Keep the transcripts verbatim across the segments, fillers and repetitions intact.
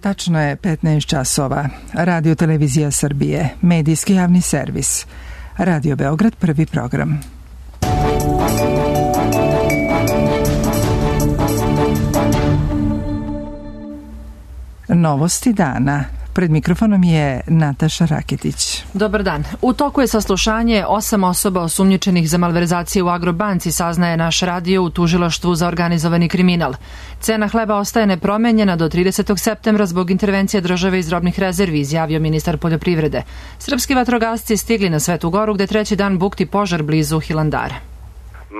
Tačno je petnaest časova. Radio Televizija Srbije, medijski javni servis. Radio Beograd, prvi program. Novosti dana. Pred mikrofonom je Nataša Raketić. Dobar dan. U toku je saslušanje osam osoba osumnjičenih za malverzacije u Agrobanci, saznaje naš radio u tužilaštvu za organizovani kriminal. Cena hleba ostaje nepromenjena do tridesetog septembra zbog intervencije države iz robnih rezervi, izjavio ministar poljoprivrede. Srpski vatrogasci stigli na Svetu Goru gde treći dan bukti požar blizu Hilandara.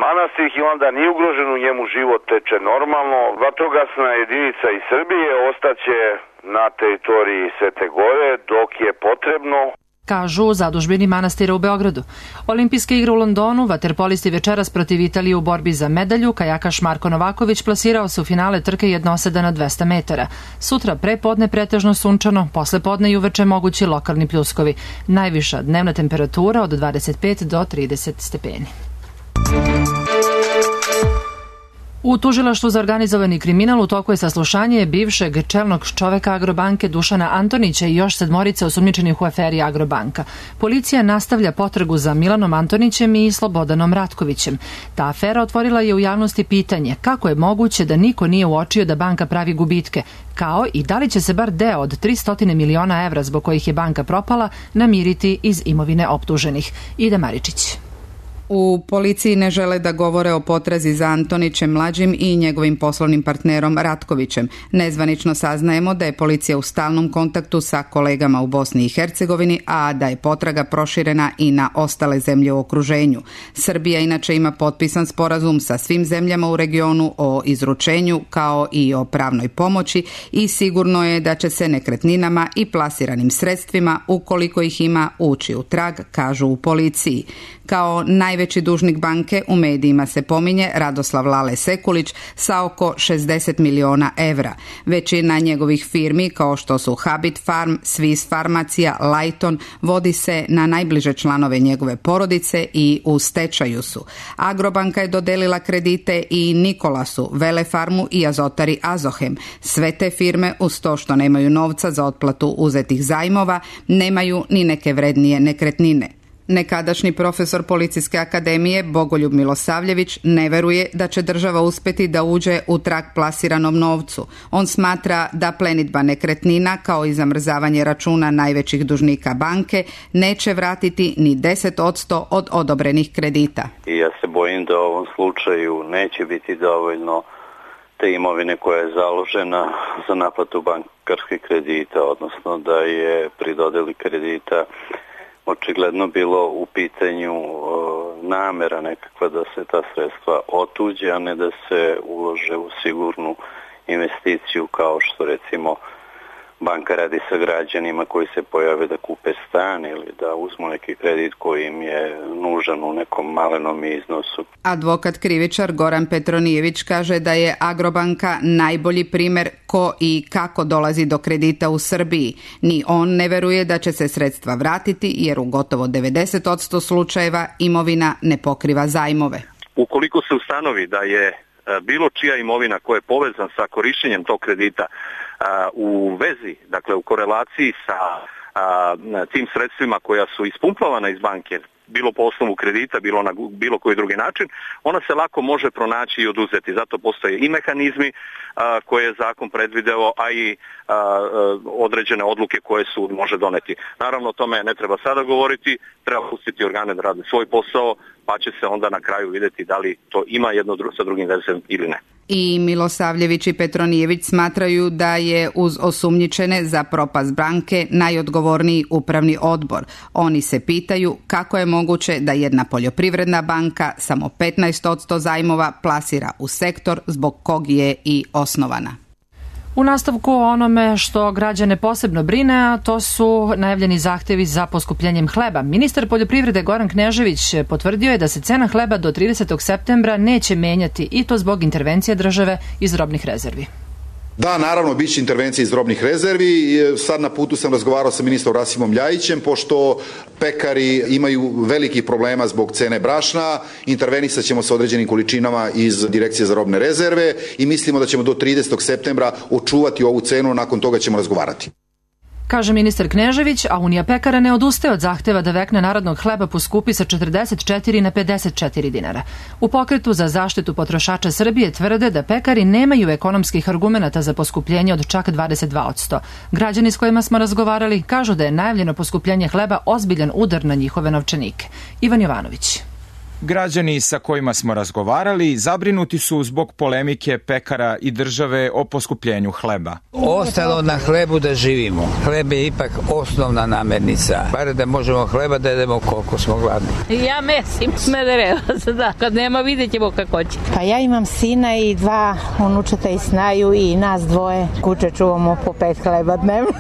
Manastir Hilandar nije ugrožen, u njemu život teče normalno. Vatrogasna jedinica iz Srbije ostaće na teritoriji Svete Gore dok je potrebno, kažu u zadužbini manastira u Beogradu. Olimpijske igre u Londonu, vaterpolisti večeras protiv Italije u borbi za medalju, kajakaš Marko Novaković plasirao se u finale trke jednoseda na dvesta metara. Sutra pre podne pretežno sunčano, posle podne i uveče mogući lokalni pljuskovi. Najviša dnevna temperatura od dvadeset pet do trideset stepeni. U tužilaštvu za organizovani kriminal u toku je saslušanje bivšeg čelnog čoveka Agrobanke Dušana Antonića i još sedmorice osumnjičenih u aferi Agrobanka. Policija nastavlja potragu za Milanom Antonićem i Slobodanom Ratkovićem. Ta afera otvorila je u javnosti pitanje kako je moguće da niko nije uočio da banka pravi gubitke, kao i da li će se bar deo od tristo miliona evra zbog kojih je banka propala namiriti iz imovine optuženih. Ida Maričić. U policiji ne žele da govore o potrazi za Antonićem mlađim i njegovim poslovnim partnerom Ratkovićem. Nezvanično saznajemo da je policija u stalnom kontaktu sa kolegama u Bosni i Hercegovini, a da je potraga proširena i na ostale zemlje u okruženju. Srbija inače ima potpisan sporazum sa svim zemljama u regionu o izručenju kao i o pravnoj pomoći i sigurno je da će se nekretninama i plasiranim sredstvima, ukoliko ih ima, ući u trag, kažu u policiji. Kao najveći dužnik banke u medijima se pominje Radoslav Lale Sekulić sa oko šezdeset miliona evra. Većina njegovih firmi kao što su Habit Farm, Swiss Farmacija, Lighton vodi se na najbliže članove njegove porodice i u stečaju su. Agrobanka je dodelila kredite i Nikolasu, Velefarmu i Azotari Azohem. Sve te firme uz to što nemaju novca za otplatu uzetih zajmova nemaju ni neke vrednije nekretnine. Nekadašnji profesor Policijske akademije Bogoljub Milosavljević ne veruje da će država uspeti da uđe u trag plasiranom novcu. On smatra da plenidba nekretnina kao i zamrzavanje računa najvećih dužnika banke neće vratiti ni deset posto od odobrenih kredita. I ja se bojim da u ovom slučaju neće biti dovoljno te imovine koja je založena za naplatu bankarskih kredita, odnosno da je pri dodeli kredita očigledno bilo u pitanju o, namera nekakva da se ta sredstva otuđe, a ne da se ulože u sigurnu investiciju kao što recimo banka radi sa građanima koji se pojave da kupe stan ili da uzmu neki kredit koji im je nužan u nekom malenom iznosu. Advokat krivičar Goran Petronijević kaže da je Agrobanka najbolji primer ko i kako dolazi do kredita u Srbiji. Ni on ne veruje da će se sredstva vratiti jer u gotovo devedeset posto slučajeva imovina ne pokriva zajmove. Ukoliko se ustanovi da je bilo čija imovina koja je povezan sa korišćenjem tog kredita u vezi, dakle u korelaciji sa a, tim sredstvima koja su ispumplavana iz banke, bilo po osnovu kredita, bilo na bilo koji drugi način, ona se lako može pronaći i oduzeti. Zato postoje i mehanizmi a, koje je zakon predvideo, a i a, a, određene odluke koje sud može doneti. Naravno, o tome ne treba sada govoriti, treba pustiti organe da rade svoj posao, pa će se onda na kraju vidjeti da li to ima jedno sa drugim vezem ili ne. I Milosavljević i Petronijević smatraju da je uz osumnjičene za propast banke najodgovorniji upravni odbor. Oni se pitaju kako je moguće da jedna poljoprivredna banka samo petnaest posto zajmova plasira u sektor zbog kog je i osnovana. U nastavku o onome što građane posebno brine, a to su najavljeni zahtevi za poskupljenjem hleba. Ministar poljoprivrede Goran Knežević potvrdio je da se cena hleba do tridesetog septembra neće menjati i to zbog intervencije države iz robnih rezervi. Da, naravno, bit će intervencija iz robnih rezervi. Sad na putu sam razgovarao sa ministrom Rasimom Ljajićem, pošto pekari imaju velikih problema zbog cene brašna. Intervenisat ćemo sa određenim količinama iz Direkcije za robne rezerve i mislimo da ćemo do tridesetog septembra očuvati ovu cenu, nakon toga ćemo razgovarati. Kaže ministar Knežević, a Unija pekara ne odustaje od zahteva da vekna narodnog hleba poskupi sa četrdeset četiri na pedeset četiri dinara. U Pokretu za zaštitu potrošača Srbije tvrde da pekari nemaju ekonomskih argumenata za poskupljenje od čak dvadeset dva posto. Građani s kojima smo razgovarali kažu da je najavljeno poskupljenje hleba ozbiljan udar na njihove novčanike. Ivan Jovanović. Građani sa kojima smo razgovarali zabrinuti su zbog polemike pekara i države o poskupljenju hleba. Ostalo na hlebu da živimo. Hleb je ipak osnovna namirnica. Bar da možemo hleba da jedemo koliko smo gladni. Ja mesim Smederevac, da. Kad nema vidjet ćemo kako će. Pa ja imam sina i dva unučeta i snaju i nas dvoje. Kuće čuvamo po pet hleba dnevno.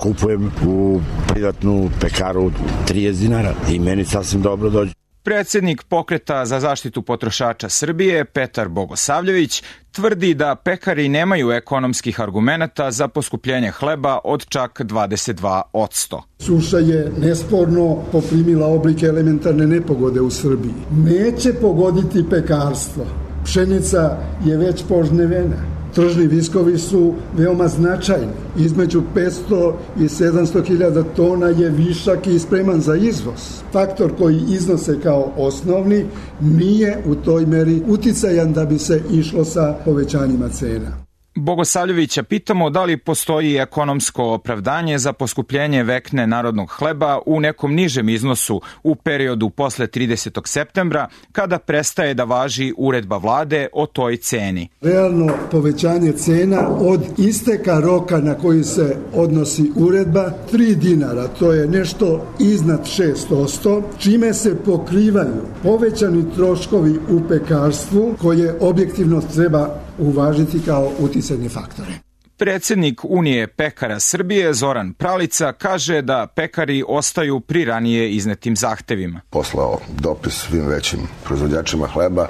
Kupujem u privatnu pekaru trideset dinara i meni sasvim dobro dođe. Predsjednik Pokreta za zaštitu potrošača Srbije, Petar Bogosavljević, tvrdi da pekari nemaju ekonomskih argumenata za poskupljenje hleba od čak dvadeset dva posto. Suša je nesporno poprimila oblike elementarne nepogode u Srbiji. Neće pogoditi pekarstvo. Pšenica je već požnevena. Tržni viskovi su veoma značajni. Između petsto i sedamsto hiljada tona je višak i spreman za izvoz. Faktor koji iznose kao osnovni nije u toj meri uticajan da bi se išlo sa povećanjima cena. Bogosavljevića pitamo da li postoji ekonomsko opravdanje za poskupljenje vekne narodnog hleba u nekom nižem iznosu u periodu posle tridesetog septembra, kada prestaje da važi uredba vlade o toj ceni. Realno povećanje cena od isteka roka na koji se odnosi uredba, tri dinara, to je nešto iznad šest posto, čime se pokrivaju povećani troškovi u pekarstvu koje objektivno treba uvažiti kao uticajne faktore. Predsjednik Unije pekara Srbije Zoran Pralica kaže da pekari ostaju pri ranije iznetim zahtevima. Poslao dopis svim većim proizvođačima hleba.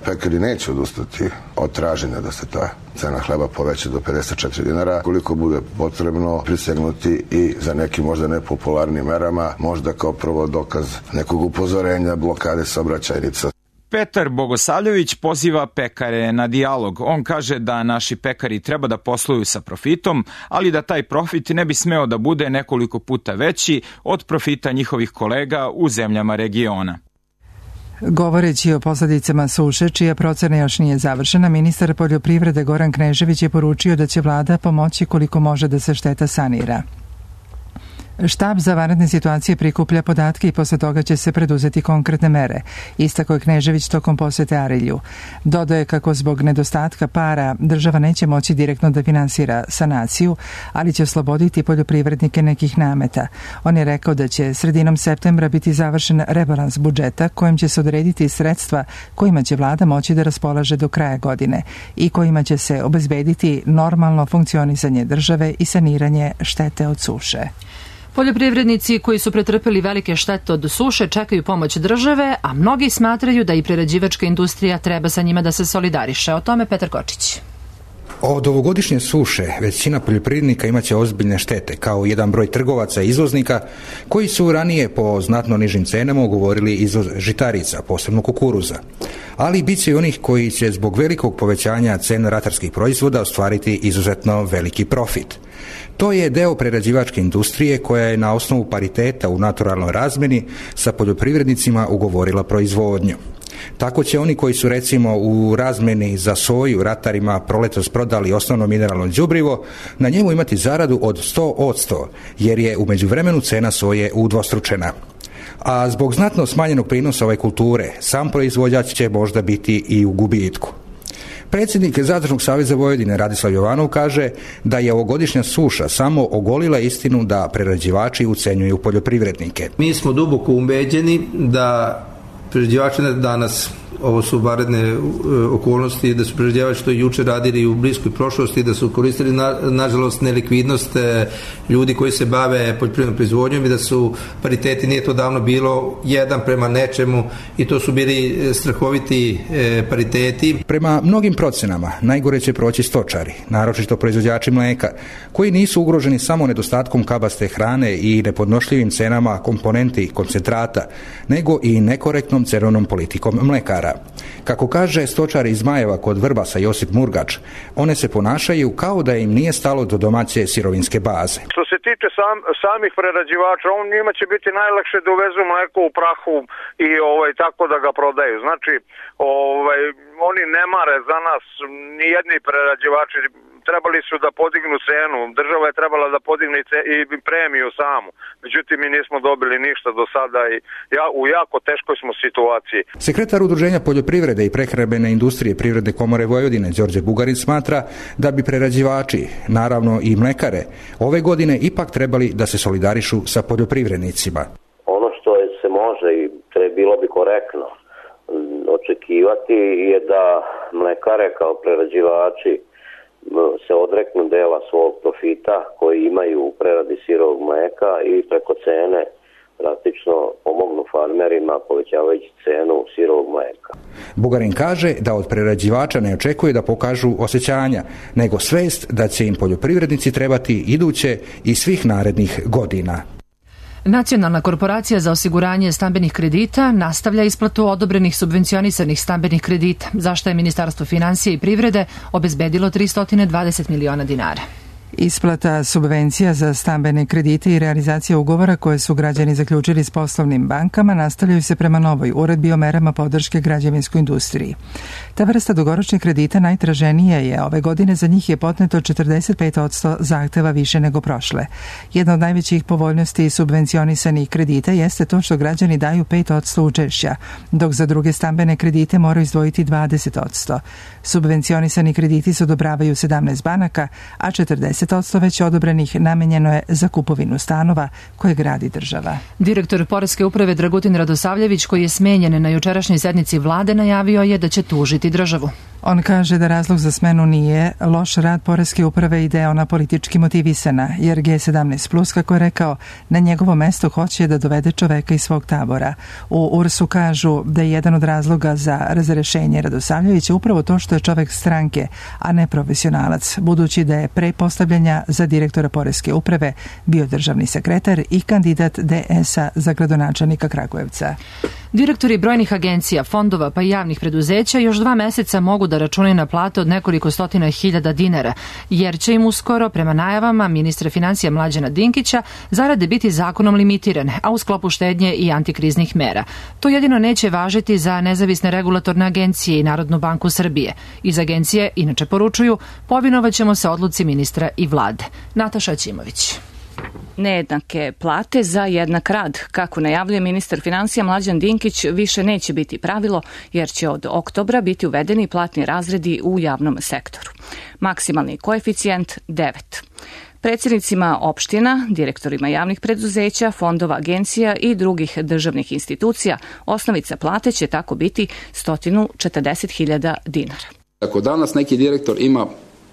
Pekari neće odustati od traženja da se ta cena hleba poveća do pedeset četiri dinara. Koliko bude potrebno prisegnuti i za nekim možda nepopularnim merama, možda kao prvo dokaz nekog upozorenja, blokade saobraćajnica. Petar Bogosavljević poziva pekare na dijalog. On kaže da naši pekari treba da posluju sa profitom, ali da taj profit ne bi smeo da bude nekoliko puta veći od profita njihovih kolega u zemljama regiona. Govoreći o posledicama suše, čija procena još nije završena, ministar poljoprivrede Goran Knežević je poručio da će vlada pomoći koliko može da se šteta sanira. Štab za vanredne situacije prikuplja podatke i posle toga će se preduzeti konkretne mere, istakao je Knežević tokom posete Arilju. Dodaje kako zbog nedostatka para država neće moći direktno da finansira sanaciju, ali će osloboditi poljoprivrednike nekih nameta. On je rekao da će sredinom septembra biti završen rebalans budžeta kojim će se odrediti sredstva kojima će vlada moći da raspolaže do kraja godine i kojima će se obezbediti normalno funkcionisanje države i saniranje štete od suše. Poljoprivrednici koji su pretrpeli velike štete od suše čekaju pomoć države, a mnogi smatraju da i prerađivačka industrija treba sa njima da se solidariše. O tome Petar Kočić. Od ovogodišnje suše većina poljoprivrednika imaće ozbiljne štete, kao jedan broj trgovaca i izvoznika koji su ranije po znatno nižim cenama ugovorili izvoz žitarica, posebno kukuruza. Ali bit će i onih koji će zbog velikog povećanja cena ratarskih proizvoda ostvariti izuzetno veliki profit. To je deo prerađivačke industrije koja je na osnovu pariteta u naturalnoj razmeni sa poljoprivrednicima ugovorila proizvodnju. Tako će oni koji su recimo u razmeni za soju ratarima proletos prodali osnovno mineralno đubrivo na njemu imati zaradu od sto posto jer je u međuvremenu cena soje udvostručena. A zbog znatno smanjenog prinosa ove kulture sam proizvođač će možda biti i u gubitku. Predsjednik Zadružnog saveza Vojvodine Radislav Jovanov kaže da je ovogodišnja suša samo ogolila istinu da prerađivači ucenjuju poljoprivrednike. Mi smo duboko ubeđeni da prerađivači danas ovo su vanredne okolnosti, da su prerađivači to juče radili u bliskoj prošlosti, da su koristili na, nažalost nelikvidnost ljudi koji se bave poljoprivrednom proizvodnjom i da su pariteti, nije to davno bilo jedan prema nečemu i to su bili strahoviti pariteti. Prema mnogim procenama najgore će proći stočari, naročito proizvođači mlijeka, koji nisu ugroženi samo nedostatkom kabaste hrane i nepodnošljivim cenama komponenti i koncentrata, nego i nekorektnom cenovnom politikom mlekara. Kako kaže stočar iz Zmajeva kod Vrbasa Josip Murgač, one se ponašaju kao da im nije stalo do domaće sirovinske baze. Što se tiče sam, samih prerađivača, on njima će biti najlakše da uvezu mleko u prahu i ovaj tako da ga prodaju. Znači, ovaj oni ne mare za nas, ni jedni prerađivači trebali su da podignu cenu, država je trebala da podigne i premiju samu. Međutim, mi nismo dobili ništa do sada i ja, u jako teškoj smo situaciji. Sekretar Udruženja poljoprivrede i prehrambene industrije Privredne komore Vojvodine Đorđe Bugarin smatra da bi prerađivači, naravno i mlekare, ove godine ipak trebali da se solidarišu sa poljoprivrednicima. Ono što se može i bilo bi korektno očekivati je da mlekare kao prerađivači se odreknu dela svog profita koji imaju u preradi sirovog mleka i preko cene praktično pomognu farmerima povećavajući cenu sirovog mleka. Bugarin kaže da od prerađivača ne očekuje da pokažu osjećanja, nego svest da će im poljoprivrednici trebati iduće i svih narednih godina. Nacionalna korporacija za osiguranje stambenih kredita nastavlja isplatu odobrenih subvencionisanih stambenih kredita, za što je Ministarstvo finansija i privrede obezbedilo tristo dvadeset miliona dinara. Isplata subvencija za stambene kredite i realizacija ugovora koje su građani zaključili s poslovnim bankama nastavljaju se prema novoj uredbi o merama podrške građevinskoj industriji. Ta vrsta dugoročnih kredita najtraženija je ove godine, za njih je podneto četrdeset pet posto zahteva više nego prošle. Jedna od najvećih povoljnosti subvencionisanih kredita jeste to što građani daju pet posto učešća, dok za druge stambene kredite moraju izdvojiti dvadeset posto. Subvencionisani krediti se odobravaju sedamnaest banaka, a četrdeset posto već odobrenih namenjeno je za kupovinu stanova koje gradi država. Direktor Poreske uprave Dragutin Radosavljević, koji je smenjen na jučerašnjoj sednici vlade, najavio je da će tužiti državu. On kaže da razlog za smenu nije loš rad Poreske uprave i da je ona politički motivisana, jer G sedamnaest plus, kako je rekao, na njegovo mesto hoće da dovede čoveka iz svog tabora. U U R S-u kažu da je jedan od razloga za razrešenje Radosavljevića upravo to što je čovek stranke, a ne profesionalac, budući da je pre postavljanja za direktora Poreske uprave bio državni sekretar i kandidat D S-a za gradonačelnika Kragujevca. Direktori brojnih agencija, fondova pa i javnih preduzeća još dva meseca mogu da računaju na plate od nekoliko stotina hiljada dinara, jer će im uskoro, prema najavama ministra financija Mlađana Dinkića, zarade biti zakonom limitirane, a u sklopu štednje i antikriznih mera. To jedino neće važiti za nezavisne regulatorne agencije i Narodnu banku Srbije. Iz agencije inače poručuju, povinovaćemo se odluci ministra i vlade. Nataša Ćimović. Nejednake plate za jednak rad. Kako najavljuje ministar financija Mlađan Dinkić, više neće biti pravilo, jer će od oktobra biti uvedeni platni razredi u javnom sektoru. Maksimalni koeficijent devet. Predsjednicima opština, direktorima javnih preduzeća, fondova, agencija i drugih državnih institucija osnovica plate će tako biti sto četrdeset hiljada dinara. Ako danas neki direktor ima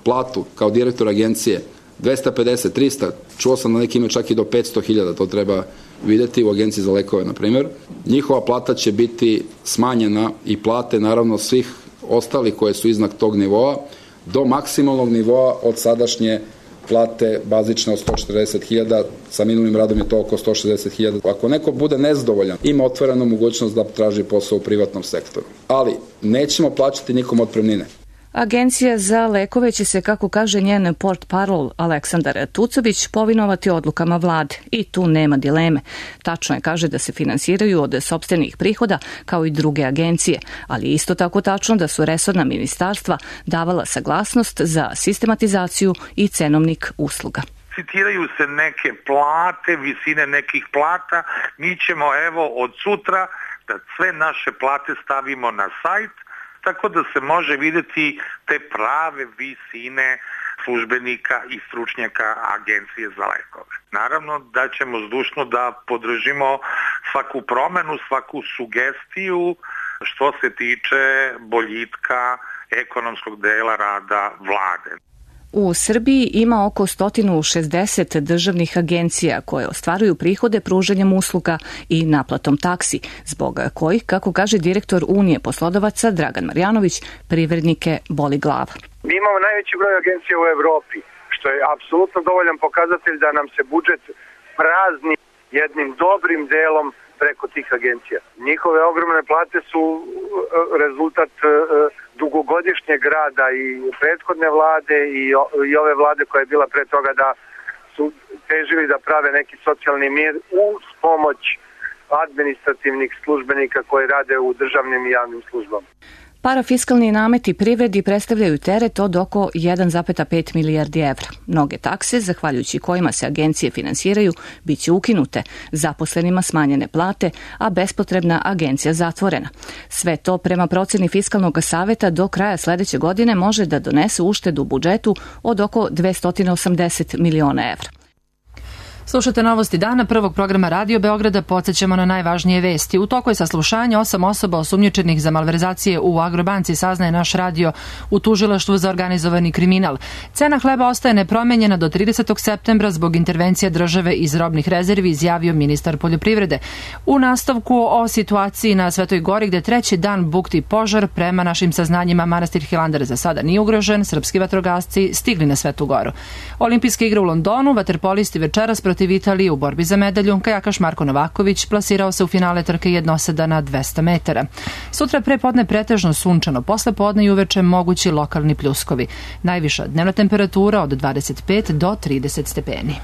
platu kao direktor agencije dvesta pedeset, trista, čuo sam da neki imaju čak i do petsto hiljada, to treba vidjeti u agenciji za lekove, na primjer. Njihova plata će biti smanjena i plate, naravno, svih ostalih koje su iznad tog nivoa, do maksimalnog nivoa od sadašnje plate bazične od sto četrdeset hiljada, sa minulnim radom je to oko sto šezdeset hiljada. Ako neko bude nezadovoljan, ima otvorenu mogućnost da traži posao u privatnom sektoru. Ali nećemo plaćati nikom otpremnine. Agencija za lekove će se, kako kaže njen portparol Aleksandar Tucović, povinovati odlukama vlade. I tu nema dileme. Tačno je, kaže, da se finansiraju od sopstvenih prihoda kao i druge agencije, ali isto tako tačno da su resorna ministarstva davala saglasnost za sistematizaciju i cenovnik usluga. Citiraju se neke plate, visine nekih plata. Mi ćemo evo od sutra da sve naše plate stavimo na sajt, tako da se može vidjeti te prave visine službenika i stručnjaka agencije za lekove. Naravno da ćemo zdušno da podržimo svaku promenu, svaku sugestiju što se tiče boljitka ekonomskog dela rada vlade. U Srbiji ima oko sto šezdeset državnih agencija koje ostvaruju prihode pružanjem usluga i naplatom taksi, zbog kojih, kako kaže direktor Unije poslodavaca Dragan Marjanović, privrednike boli glava. Mi imamo najveći broj agencija u Evropi, što je apsolutno dovoljan pokazatelj da nam se budžet prazni jednim dobrim delom preko tih agencija. Njihove ogromne plate su rezultat dugogodišnjeg rada i prethodne vlade i ove vlade koja je bila pre toga, da su težili da prave neki socijalni mir uz pomoć administrativnih službenika koji rade u državnim i javnim službama. Parafiskalni nameti privredi predstavljaju teret od oko jedan zarez pet milijardi evra. Mnoge takse, zahvaljujući kojima se agencije finansiraju, bit će ukinute, zaposlenima smanjene plate, a bespotrebna agencija zatvorena. Sve to, prema proceni Fiskalnog saveta, do kraja sledeće godine može da donese uštedu u budžetu od oko dvesta osamdeset miliona evra. Slušate novosti dana prvog programa Radio Beograda, podsjećamo na najvažnije vesti. U toku je saslušanje osam osoba osumnjičenih za malverzacije u Agrobanci, saznaje naš radio u tužilaštvu za organizovani kriminal. Cena hleba ostaje nepromenjena do tridesetog septembra zbog intervencija države iz robnih rezervi, izjavio ministar poljoprivrede. U nastavku o situaciji na Svetoj Gori, gde treći dan bukti požar, prema našim saznanjima manastir Hilandar za sada nije ugrožen, srpski vatrogasci stigli na Svetu Goru. Olimpijske igre u Londonu, vaterpolisti večeras protiv Italije u borbi za medalju, kajakaš Marko Novaković plasirao se u finale trke jednoseda na dvesta metara. Sutra pre podne pretežno sunčano, posle podne i uveče mogući lokalni pljuskovi. Najviša dnevna temperatura od dvadeset pet do trideset stepeni.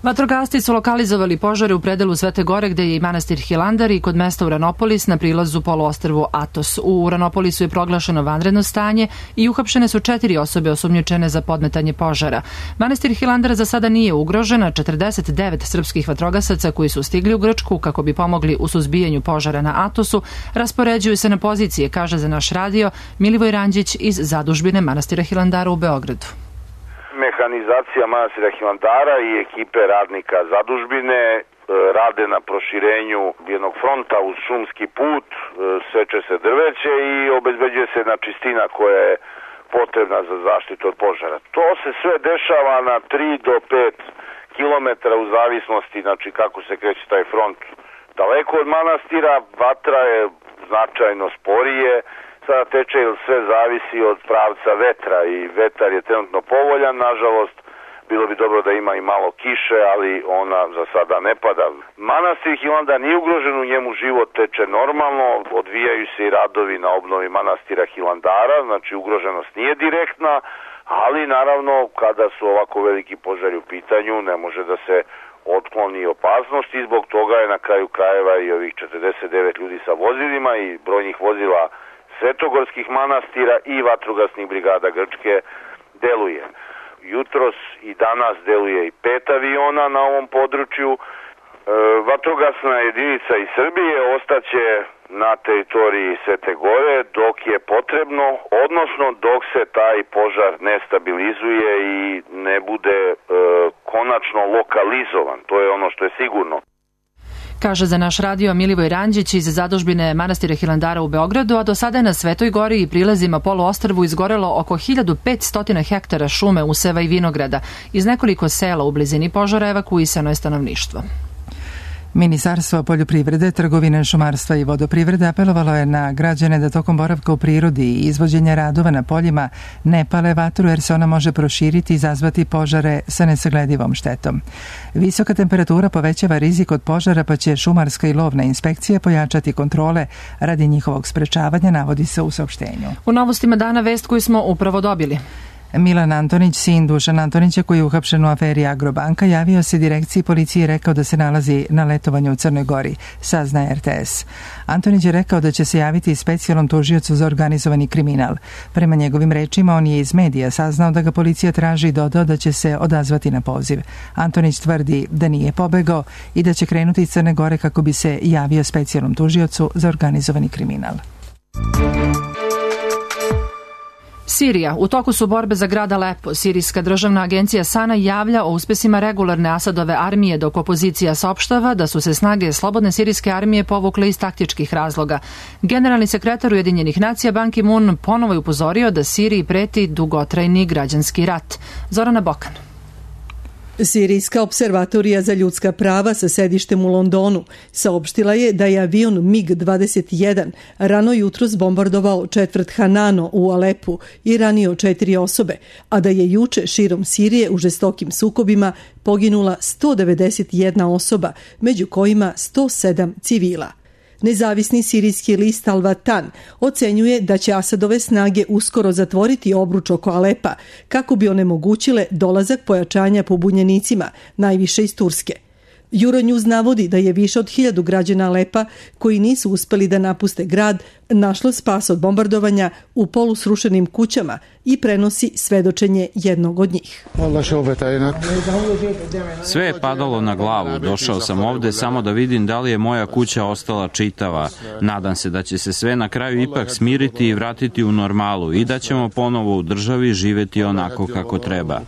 Vatrogasci su lokalizovali požare u predelu Svete Gore, gde je i manastir Hilandar, i kod mesta Uranopolis na prilazu poluostrvu Atos. U Uranopolisu je proglašeno vanredno stanje i uhapšene su četiri osobe osumnjičene za podmetanje požara. Manastir Hilandar za sada nije ugrožen, a četrdeset devet srpskih vatrogasaca koji su stigli u Grčku kako bi pomogli u suzbijanju požara na Atosu raspoređuju se na pozicije, kaže za naš radio Milivoj Ranđić iz zadužbine manastira Hilandara u Beogradu. Mehanizacija manastira Hilandara i ekipe radnika zadužbine rade na proširenju jednog fronta uz šumski put, seče se drveće i obezbeđuje se jedna čistina koja je potrebna za zaštitu od požara. To se sve dešava na tri do pet kilometara u zavisnosti, znači kako se kreće taj front daleko od manastira, vatra je značajno sporije, sada teče jer sve zavisi od pravca vetra i vetar je trenutno povoljan, nažalost bilo bi dobro da ima i malo kiše, ali ona za sada ne pada. Manastir Hilandar nije ugrožen, u njemu život teče normalno, odvijaju se i radovi na obnovi manastira Hilandara, znači ugroženost nije direktna, ali naravno kada su ovako veliki požari u pitanju ne može da se otkloni opasnost i zbog toga je na kraju krajeva i ovih četrdeset devet ljudi sa vozilima i brojnih vozila svetogorskih manastira i vatrogasnih brigada Grčke deluje. Jutros i danas deluje i pet aviona na ovom području. E, vatrogasna jedinica iz Srbije ostaće na teritoriji Svete Gore dok je potrebno, odnosno dok se taj požar ne stabilizuje i ne bude e, konačno lokalizovan. To je ono što je sigurno. Kaže za naš radio Milivoj Ranđić iz zadužbine manastira Hilandara u Beogradu, a do sada je na Svetoj Gori i prilazima poluostrvu izgorelo oko hiljadu petsto hektara šume, useva i vinograda. Iz nekoliko sela u blizini požara evakuisano je stanovništvo. Ministarstvo poljoprivrede, trgovine, šumarstva i vodoprivrede apelovalo je na građane da tokom boravka u prirodi i izvođenja radova na poljima ne pale vatru jer se ona može proširiti i izazvati požare sa nesagledivom štetom. Visoka temperatura povećava rizik od požara, pa će šumarska i lovna inspekcija pojačati kontrole radi njihovog sprečavanja, navodi se u saopštenju. U novostima dana vest koju smo upravo dobili. Milan Antonić, sin Dušan Antonića koji je uhapšen u aferi Agrobanka, javio se direkciji policije i rekao da se nalazi na letovanju u Crnoj Gori, saznaje R T S. Antonić je rekao da će se javiti specijalnom tužiocu za organizovani kriminal. Prema njegovim rečima, on je iz medija saznao da ga policija traži i dodao da će se odazvati na poziv. Antonić tvrdi da nije pobegao i da će krenuti iz Crne Gore kako bi se javio specijalnom tužiocu za organizovani kriminal. Sirija. U toku su borbe za grad Alepo. Sirijska državna agencija Sana javlja o uspesima regularne Asadove armije, dok opozicija saopštava da su se snage slobodne sirijske armije povukle iz taktičkih razloga. Generalni sekretar Ujedinjenih nacija Ban Ki-moon ponovo je upozorio da Siriji preti dugotrajni građanski rat. Zorana Bokan. Sirijska observatorija za ljudska prava sa sedištem u Londonu saopštila je da je avion mig dvadeset jedan rano jutros bombardovao četvrt Hanano u Alepu i ranio četiri osobe, a da je juče širom Sirije u žestokim sukobima poginula sto devedeset jedna osoba, među kojima sto sedam civila. Nezavisni sirijski list Al Watan ocenjuje da će Asadove snage uskoro zatvoriti obruč oko Alepa kako bi onemogućile dolazak pojačanja pobunjenicima, najviše iz Turske. Euronews navodi da je više od hiljadu građana Alepa koji nisu uspeli da napuste grad našlo spas od bombardovanja u polusrušenim kućama i prenosi svedočenje jednog od njih. Sve je padalo na glavu. Došao sam ovde samo da vidim da li je moja kuća ostala čitava. Nadam se da će se sve na kraju ipak smiriti i vratiti u normalu i da ćemo ponovo u državi živeti onako kako treba.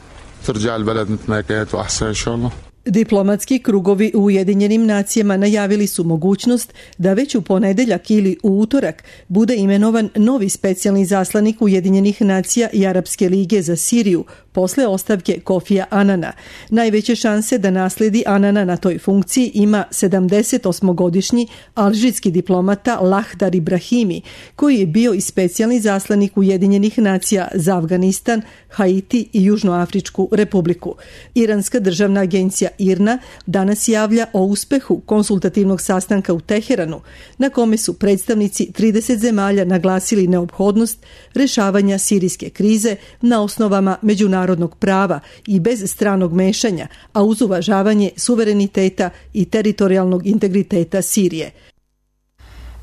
Diplomatski krugovi u Ujedinjenim nacijama najavili su mogućnost da već u ponedeljak ili u utorak bude imenovan novi specijalni zaslanik Ujedinjenih nacija i Arapske lige za Siriju posle ostavke Kofija Anana. Najveće šanse da nasledi Anana na toj funkciji ima sedamdesetosmogodišnji alžirski diplomata Lahdar Ibrahimi, koji je bio i specijalni zaslanik Ujedinjenih nacija za Afganistan, Haiti i Južnoafričku republiku. Iranska državna agencija I R N A danas javlja o uspehu konsultativnog sastanka u Teheranu, na kome su predstavnici trideset zemalja naglasili neophodnost rešavanja sirijske krize na osnovama međunarodnog prava i bez stranog mešanja, a uz uvažavanje suvereniteta i teritorijalnog integriteta Sirije.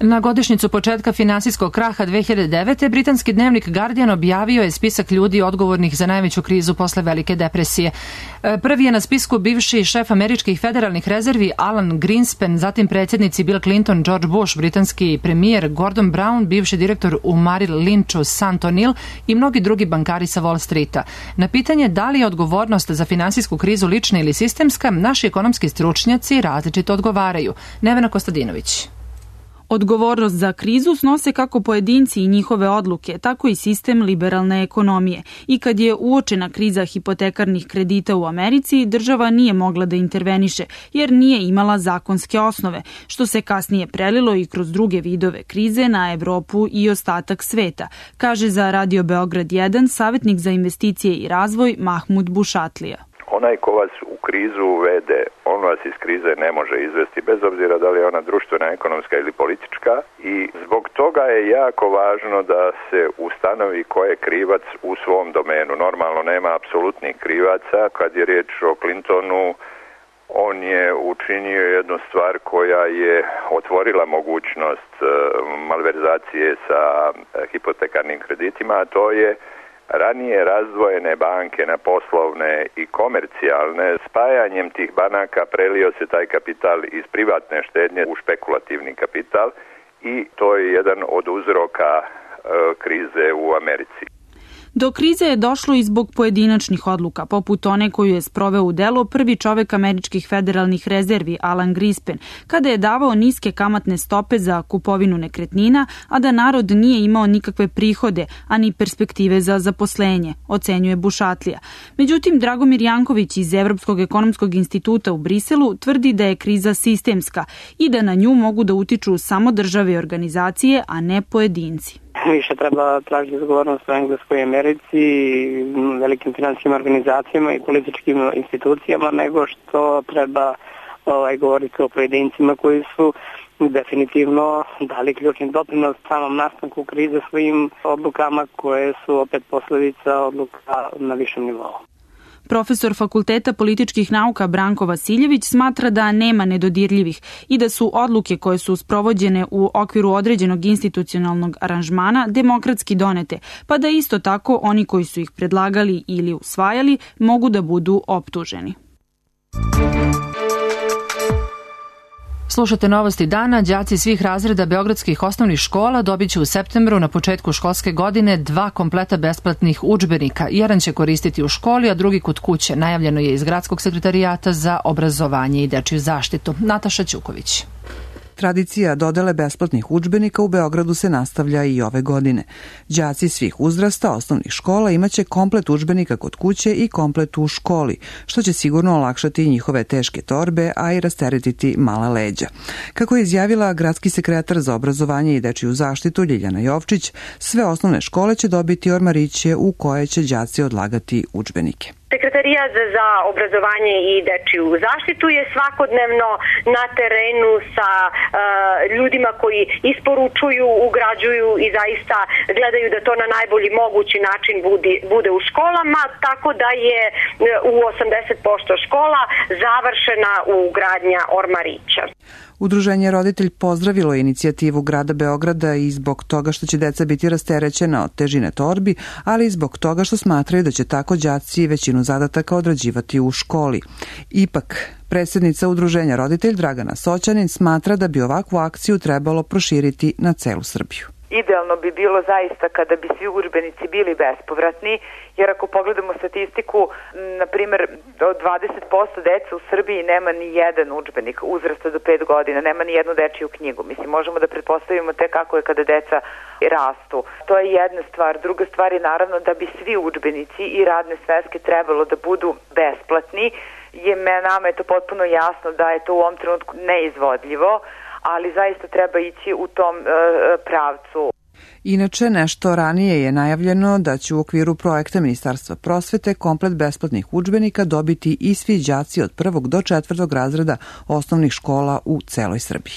Na godišnjicu početka finansijskog kraha dve hiljade devete. britanski dnevnik Guardian objavio je spisak ljudi odgovornih za najveću krizu posle Velike depresije. Prvi je na spisku bivši šef američkih federalnih rezervi Alan Greenspan, zatim predsjednici Bill Clinton, George Bush, britanski premijer Gordon Brown, bivši direktor u Merrill Lynchu Sant O'Neill i mnogi drugi bankari sa Wall Streeta. Na pitanje da li je odgovornost za finansijsku krizu lična ili sistemska, naši ekonomski stručnjaci različito odgovaraju. Nevena Kostadinović. Odgovornost za krizu snose kako pojedinci i njihove odluke, tako i sistem liberalne ekonomije. I kad je uočena kriza hipotekarnih kredita u Americi, država nije mogla da interveniše, jer nije imala zakonske osnove, što se kasnije prelilo i kroz druge vidove krize na Evropu i ostatak sveta, kaže za Radio Beograd jedan savjetnik za investicije i razvoj Mahmud Bušatlija. Onaj ko vas u krizu uvede, on vas iz krize ne može izvesti, bez obzira da li je ona društvena, ekonomska ili politička, i zbog toga je jako važno da se ustanovi ko je krivac u svom domenu. Normalno nema apsolutnih krivaca. Kad je riječ o Clintonu, on je učinio jednu stvar koja je otvorila mogućnost malverzacije sa hipotekarnim kreditima, a to je ranije razdvojene banke na poslovne i komercijalne. Spajanjem tih banaka prelio se taj kapital iz privatne štednje u špekulativni kapital i to je jedan od uzroka e, krize u Americi. Do krize je došlo i zbog pojedinačnih odluka, poput one koju je sproveo u delo prvi čovek američkih federalnih rezervi Alan Greenspan, kada je davao niske kamatne stope za kupovinu nekretnina, a da narod nije imao nikakve prihode, ani perspektive za zaposlenje, ocenjuje Bušatlija. Međutim, Dragomir Janković iz Evropskog ekonomskog instituta u Briselu tvrdi da je kriza sistemska i da na nju mogu da utiču samo države i organizacije, a ne pojedinci. Više treba tražiti odgovornost u Engleskoj Americi, velikim finansijskim organizacijama i političkim institucijama, nego što treba ovaj, govoriti o pojedincima koji su definitivno dali ključni doprinos samom nastanku krize svojim odlukama koje su opet posljedica odluka na višem nivou. Profesor Fakulteta političkih nauka Branko Vasiljević smatra da nema nedodirljivih i da su odluke koje su sprovođene u okviru određenog institucionalnog aranžmana demokratski donete, pa da isto tako oni koji su ih predlagali ili usvajali mogu da budu optuženi. Slušate novosti dana. Đaci svih razreda beogradskih osnovnih škola dobit će u septembru na početku školske godine dva kompleta besplatnih udžbenika. Jedan će koristiti u školi, a drugi kod kuće. Najavljeno je iz Gradskog sekretarijata za obrazovanje i dečiju zaštitu. Nataša Ćuković. Tradicija dodele besplatnih udžbenika u Beogradu se nastavlja i ove godine. Đaci svih uzrasta osnovnih škola imaće komplet udžbenika kod kuće i komplet u školi, što će sigurno olakšati njihove teške torbe, a i rasteretiti mala leđa. Kako je izjavila gradski sekretar za obrazovanje i dečiju zaštitu Ljiljana Jovčić, sve osnovne škole će dobiti ormariće u koje će đaci odlagati udžbenike. Sekretarijat za obrazovanje i dečiju zaštitu je svakodnevno na terenu sa uh, ljudima koji isporučuju, ugrađuju i zaista gledaju da to na najbolji mogući način budi, bude u školama, tako da je u osamdeset posto škola završena ugradnja ormarića. Udruženje Roditelj pozdravilo inicijativu grada Beograda i zbog toga što će deca biti rasterećena od težine torbi, ali i zbog toga što smatraju da će tako đaci većinu zadataka odrađivati u školi. Ipak, predsjednica Udruženja Roditelj Dragana Soćanin smatra da bi ovakvu akciju trebalo proširiti na celu Srbiju. Idealno bi bilo zaista kada bi svi udžbenici bili bespovratni, jer ako pogledamo statistiku, na primjer, od dvadeset posto deca u Srbiji nema ni jedan udžbenik uzrasta do pet godina, nema ni jednu dečiju knjigu. Mislim, možemo da pretpostavimo te kako je kada deca rastu. To je jedna stvar. Druga stvar je naravno da bi svi udžbenici i radne sveske trebalo da budu besplatni. Je, nama je to potpuno jasno da je to u ovom trenutku neizvodljivo, ali zaista treba ići u tom e, pravcu. Inače, nešto ranije je najavljeno da će u okviru projekta Ministarstva prosvete komplet besplatnih udžbenika dobiti i svi đaci od prvog do četvrtog razreda osnovnih škola u celoj Srbiji.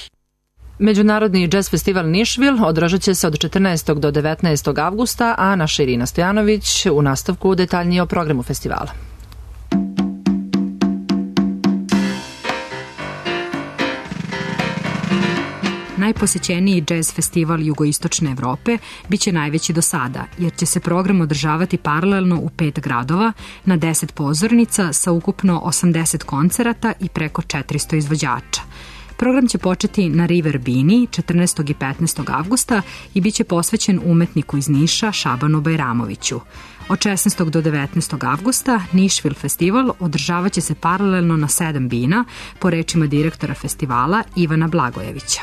Međunarodni džez festival Nišvil održat će se od četrnaestog do devetnaestog avgusta, a naša Irina Stojanović u nastavku detaljnije o programu festivala. Najposećeniji džez festival jugoistočne Evrope biće najveći do sada, jer će se program održavati paralelno u pet gradova na deset pozornica sa ukupno osamdeset koncerata i preko četiristo izvođača. Program će početi na River Bini četrnaestog i petnaestog avgusta i biće posvećen umetniku iz Niša Šabanu Bajramoviću. Od šesnaestog do devetnaestog avgusta Nišvil festival održavat će se paralelno na sedam bina, po rečima direktora festivala Ivana Blagojevića.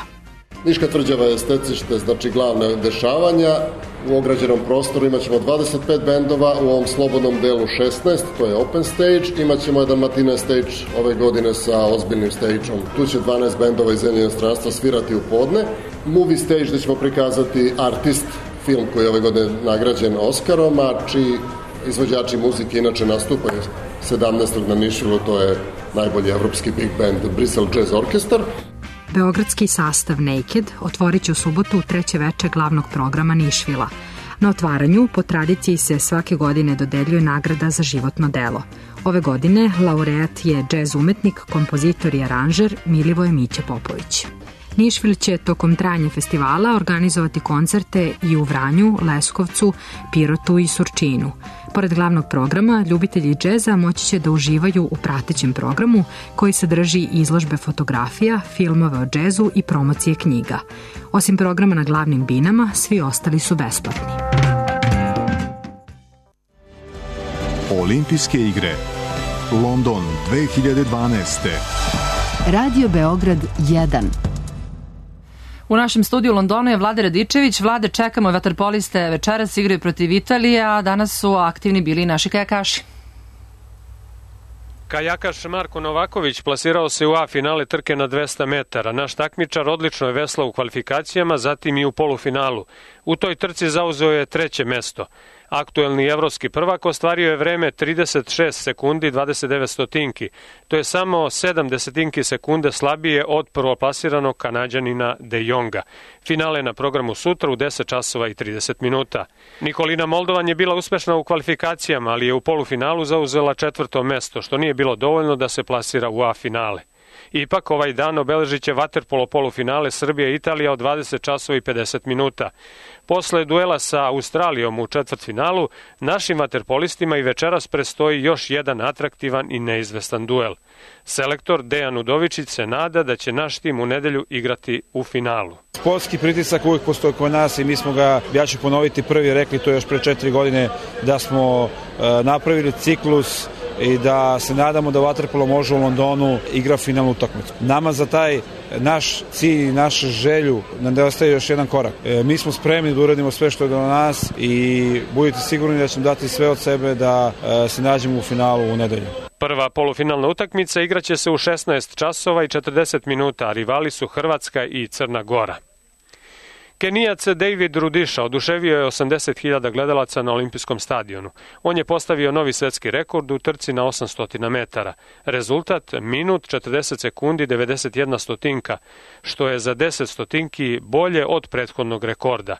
Niška tvrđava je stecište, znači glavne dešavanja. U ograđenom prostoru imat ćemo dvadeset pet bendova, u ovom slobodnom delu šesnaest, to je open stage. Imat ćemo jedan matinee stage ove godine sa ozbiljnim stage-om. Tu će dvanaest bendova iz zemlje inostranstva svirati u podne. Movie stage gde ćemo prikazati Artist, film koji je ove godine nagrađen Oskarom, a čiji izvođači muzike inače nastupaju sedamnaestog na Nišvilu, to je najbolji evropski big band Bristol Jazz Orchestra. Beogradski sastav Naked otvorit će u subotu treće veče glavnog programa Nišvila. Na otvaranju, po tradiciji, se svake godine dodeljuje nagrada za životno delo. Ove godine laureat je džez umetnik, kompozitor i aranžer Milivoje Miće Popović. Nišvil će tokom trajanja festivala organizovati koncerte i u Vranju, Leskovcu, Pirotu i Surčinu. Pored glavnog programa, ljubitelji džeza moći će da uživaju u pratećem programu koji sadrži izložbe fotografija, filmove o džezu i promocije knjiga. Osim programa na glavnim binama, svi ostali su besplatni. Olimpijske igre London dve hiljade dvanaeste. Radio Beograd jedan. U našem studiju u Londonu je Vlade Radičević. Vlade, čekamo vaterpoliste, večeras igraju protiv Italije, a danas su aktivni bili naši kajakaši. Kajakaš Marko Novaković plasirao se u A finale trke na dvesta metara. Naš takmičar odlično je veslao u kvalifikacijama, zatim i u polufinalu. U toj trci zauzeo je treće mesto. Aktuelni evropski prvak ostvario je vreme trideset šest sekundi dvadeset devet stotinki. To je samo sedam desetinki sekunde slabije od prvoplasiranog Kanađanina De Jonga. Finale na programu sutra u deset časova i trideset minuta. Nikolina Moldovan je bila uspešna u kvalifikacijama, ali je u polufinalu zauzela četvrto mesto, što nije bilo dovoljno da se plasira u A finale. Ipak ovaj dan obeležit će vaterpolo polufinale Srbije i Italija od dvadeset časova i pedeset minuta. Posle duela sa Australijom u četvrtfinalu, našim vaterpolistima i večeras prestoji još jedan atraktivan i neizvestan duel. Selektor Dejan Udovičić se nada da će naš tim u nedelju igrati u finalu. Sportski pritisak uvijek postoji kod nas i mi smo ga, ja ću ponoviti, prvi rekli to još pre četiri godine, da smo e, napravili ciklus i da se nadamo da vaterpolo može u Londonu igra finalnu utakmicu. Nama za taj naš cilj i našu želju nam nedostaje još jedan korak. E, mi smo spremni da uradimo sve što je do nas i budite sigurni da ćemo dati sve od sebe da e, se nađemo u finalu u nedelju. Prva polufinalna utakmica igraće se u šesnaest časova i četrdeset minuta, a rivali su Hrvatska i Crna Gora. Kenijac David Rudisha oduševio je osamdeset hiljada gledalaca na olimpijskom stadionu. On je postavio novi svetski rekord u trci na osamsto metara. Rezultat minut četrdeset sekundi devedeset jedna stotinka, što je za deset stotinki bolje od prethodnog rekorda.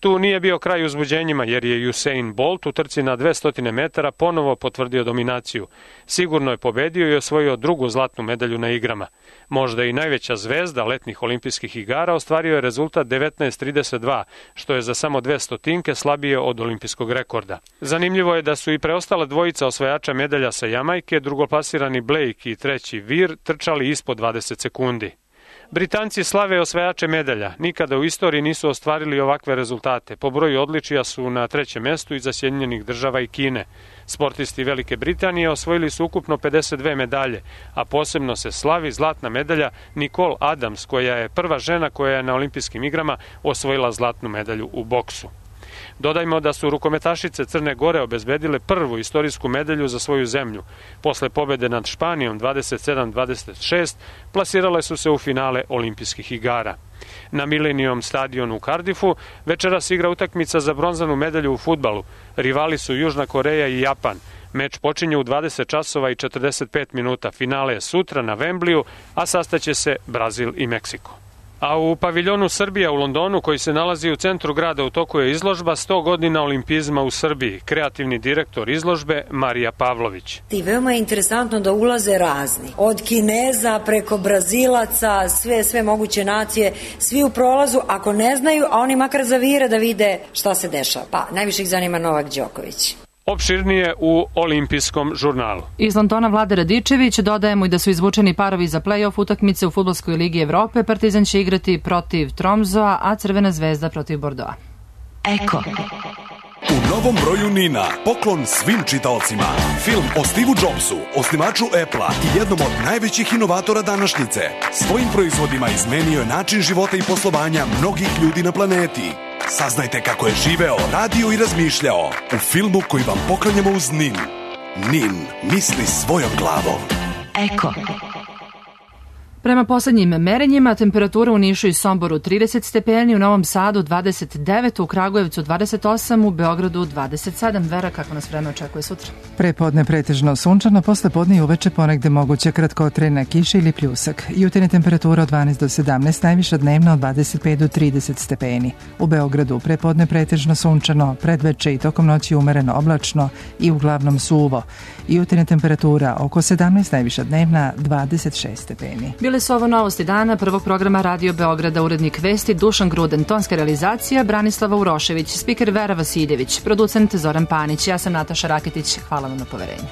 Tu nije bio kraj uzbuđenjima jer je Usain Bolt u trci na dvesta metara ponovo potvrdio dominaciju. Sigurno je pobedio i osvojio drugu zlatnu medalju na igrama. Možda i najveća zvezda letnjih olimpijskih igara ostvario je rezultat devetnaest trideset dva, što je za samo dve stotinke slabije od olimpijskog rekorda. Zanimljivo je da su i preostala dvojica osvajača medalja sa Jamajke, drugoplasirani Blake i treći Vir, trčali ispod dvadeset sekundi. Britanci slave osvajače medalja. Nikada u istoriji nisu ostvarili ovakve rezultate. Po broju odličija su na trećem mestu iza Sjedinjenih Država i Kine. Sportisti Velike Britanije osvojili su ukupno pedeset dve medalje, a posebno se slavi zlatna medalja Nicole Adams, koja je prva žena koja je na olimpijskim igrama osvojila zlatnu medalju u boksu. Dodajmo da su rukometašice Crne Gore obezbedile prvu istorijsku medalju za svoju zemlju. Posle pobede nad Španijom dvadeset sedam dvadeset šest plasirale su se u finale olimpijskih igara. Na Millennium stadionu u Cardiffu večeras igra utakmica za bronzanu medalju u fudbalu. Rivali su Južna Koreja i Japan. Meč počinje u dvadeset časova i četrdeset pet minuta. Finale je sutra na Wembleyu, a sastaće se Brazil i Meksiko. A u paviljonu Srbija u Londonu, koji se nalazi u centru grada, u toku je izložba sto godina olimpizma u Srbiji. Kreativni direktor izložbe Marija Pavlović. I veoma je interesantno da ulaze razni. Od Kineza preko Brazilaca, sve, sve moguće nacije, svi u prolazu, ako ne znaju, a oni makar zavire da vide šta se dešava. Pa, najviše ih zanima Novak Đoković. Opširnije u olimpijskom žurnalu. Iz Londona Vlade Radičević, dodajemo i da su izvučeni parovi za play-off utakmice u Fudbalskoj ligi Evrope. Partizan će igrati protiv Tromzoa, a Crvena zvezda protiv Bordoa. Eko. U novom broju Nina, poklon svim čitaocima. Film o Steve Jobsu, osnivaču Apple-a i jednom od najvećih inovatora današnjice. Svojim proizvodima izmenio je način života i poslovanja mnogih ljudi na planeti. Saznajte kako je živeo, radio i razmišljao u filmu koji vam poklanjamo uz Nin. Nin misli svojom glavom. Eko. Prema poslednjim merenjima, temperatura u Nišu i Somboru trideset stepeni, u Novom Sadu dvadeset devet, u Kragujevcu dvadeset osam, u Beogradu dvadeset sedam. Vera, kako nas vreme očekuje sutra? Prepodne pretežno sunčano, posle podne i uveče ponegde moguće kratkotrajna kiša ili pljusak. Jutarnja temperatura od dvanaest do sedamnaest, najviša dnevna od dvadeset pet do trideset stepeni. U Beogradu prepodne pretežno sunčano, predveče i tokom noći umereno oblačno i uglavnom suvo. Jutarnja temperatura oko sedamnaest, najviša dnevna dvadeset šest stepeni. Bile su ovo novosti dana prvog programa Radio Beograda, urednik vesti Dušan Gruden, tonska realizacija Branislava Urošević, spiker Vera Vasiljević, producent Zoran Panić, ja sam Nataša Raketić, hvala vam na poverenju.